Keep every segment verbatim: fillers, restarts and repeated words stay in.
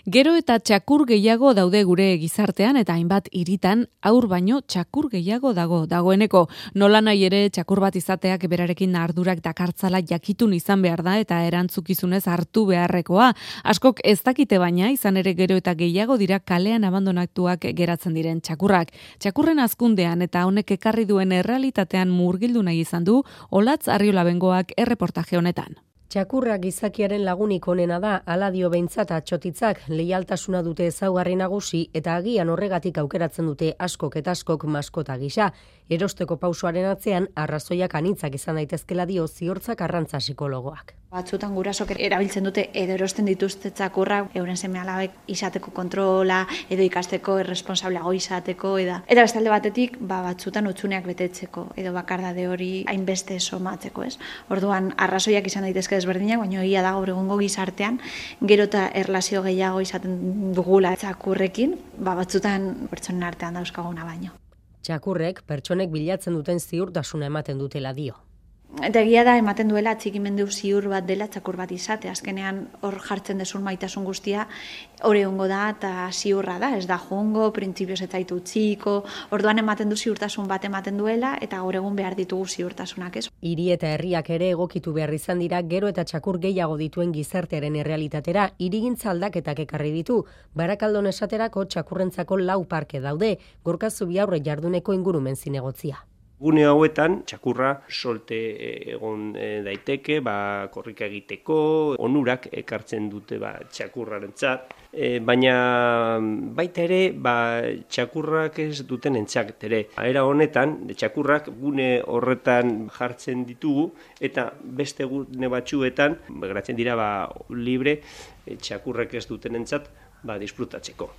Gero eta txakur gehiago daude gure gizartean eta hainbat hiritan haur baino txakur gehiago dago dagoeneko. Nola nahi ere txakur bat izateak berarekin ardurak dakartzala jakitun izan behar da eta erantzukizunez hartu beharrekoa. Askok ez dakite baina izan ere gero eta gehiago dira kalean abandonatuak geratzen diren txakurrak. Txakurren hazkundean eta honek ekarri duen errealitatean murgildu nahi izan du Olatz Arriolabengoak erreportaje honetan. Txakurra gizakiaren lagunik onena da, hala dio behintzat atxotitzak, leialtasuna dute ezaugarri nagusi eta agian horregatik aukeratzen dute askok eta askok maskota gisa. Erosteko pausoaren atzean arrazoiak anitzak izan daitezkela dio Ziortzak Arrantza psikologoak. Batzutan gurasok erabiltzen dute edo erosten dituzte txakurrak euren seme-alabek izateko kontrola edo ikasteko erresponsableago izateko eta eta bestalde batetik ba batzutan hutsuneak betetzeko edo bakardade hori hainbeste somatzeko, ez? Orduan arrazoiak izan daitezke desberdinak, baina egia da gaur egungo gizartean gero eta erlazio gehiago izaten dugula txakurrekin, ba batzutan pertsonen artean dauzkaguna baino. Txakurrek pertsonek bilatzen duten ziurtasuna ematen dutela dio. Eta egia da ematen duela atxikimendu ziur bat dela txakur bat izate. Azkenean hor jartzen desun maitasun guztia hori hongo da eta ziurra da. Ez da jongo, printzipioz ez zaitu utziko, orduan ematen du ziurtasun bat ematen duela eta gaur egun behar ditugu ziurtasunak, ez? Hiri eta herriak ere egokitu behar izan dira gero eta txakur gehiago dituen gizartearen errealitatera hirigintza aldaketak ekarri ditu. Barakaldon esaterako txakurrentzako lau parke daude, Gorka Zubiaurre jarduneko ingurumen zinegotzia. Gune hauetan, txakurra solte egon daiteke, ba, korrika egiteko, onurak ekartzen dute ba, txakurrarentzat, e, baina baita ere ba, txakurrak ez duten entzak ere. Era honetan, txakurrak gune horretan jartzen ditugu eta beste gune batzuetan, geratzen dira ba, libre, txakurrak ez duten entzat ba, disfrutatzeko.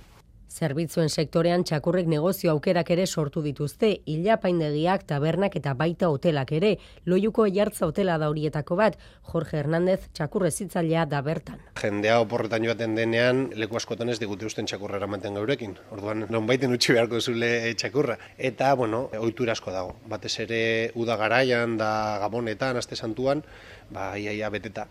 Zerbitzuen sektorean txakurrek negozio aukerak ere sortu dituzte, ilapaindegiak, tabernak eta baita hotelak ere. Loiuko Aiartza hotela da horietako bat, Jorge Hernández txakurrezitzailea da bertan. Jendea oporretan joaten denean, leku askotan ez digute usten txakurra eramaten gaurekin. Orduan, nonbaiten utzi beharko zule txakurra. Eta, bueno, ohitura asko dago. Batez ere uda garaian da Gabonetan, Aste Santuan, ba, iaia beteta.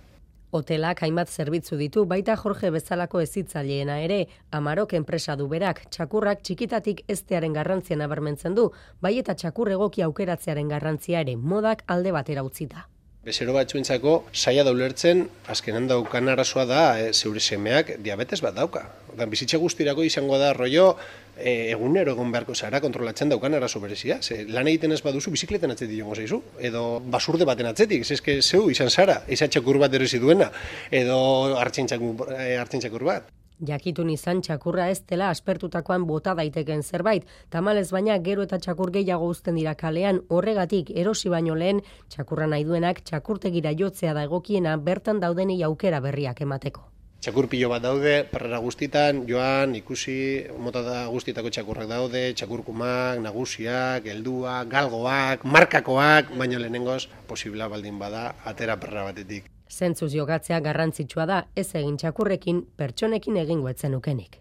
Hotelak hainbat zerbitzu ditu, baita Jorge bezalako hezitzaileena ere, Amarok enpresa du berak, txakurrak txikitatik eztearen garrantzia nabarmentzen du, bai eta txakur egoki aukeratzearen garrantzia ere modak alde batera utzita. Bezero batzuentzako saia da ulertzen, azkenan daukan arazoa da, e, zeure semeak diabetes bat dauka. Ordan bizitza guztirako izango da rollo e, egunero egon beharko zara kontrolatzen daukan arazo berezia. Ze, lan egiten ez baduzu bizikletan atzetik jongo zaizu, edo basurde baten atzetik, zeske zeu izan zara, izan txakur bat erosi duena, edo hartzen txakur bat. Jakitun izan txakurra ez dela aspertutakoan bota daiteken zerbait, tamalez baina gero eta txakur gehiago uzten dira kalean, horregatik erosi baino lehen txakurra nahi duenak txakurtegira jotzea da egokiena bertan daudenei aukera berriak emateko. Txakur pilo bat daude, parrera guztitan, joan, ikusi, mota da guztietako txakurrak daude, txakurkumak, nagusiak, helduak, galgoak, markakoak, baina lehenengoz, posibla baldin bada, atera parrera batetik. Zentzuz jogatzea garrantzitsua da, ez egin txakurrekin, pertsonekin egingo ez zenukenik.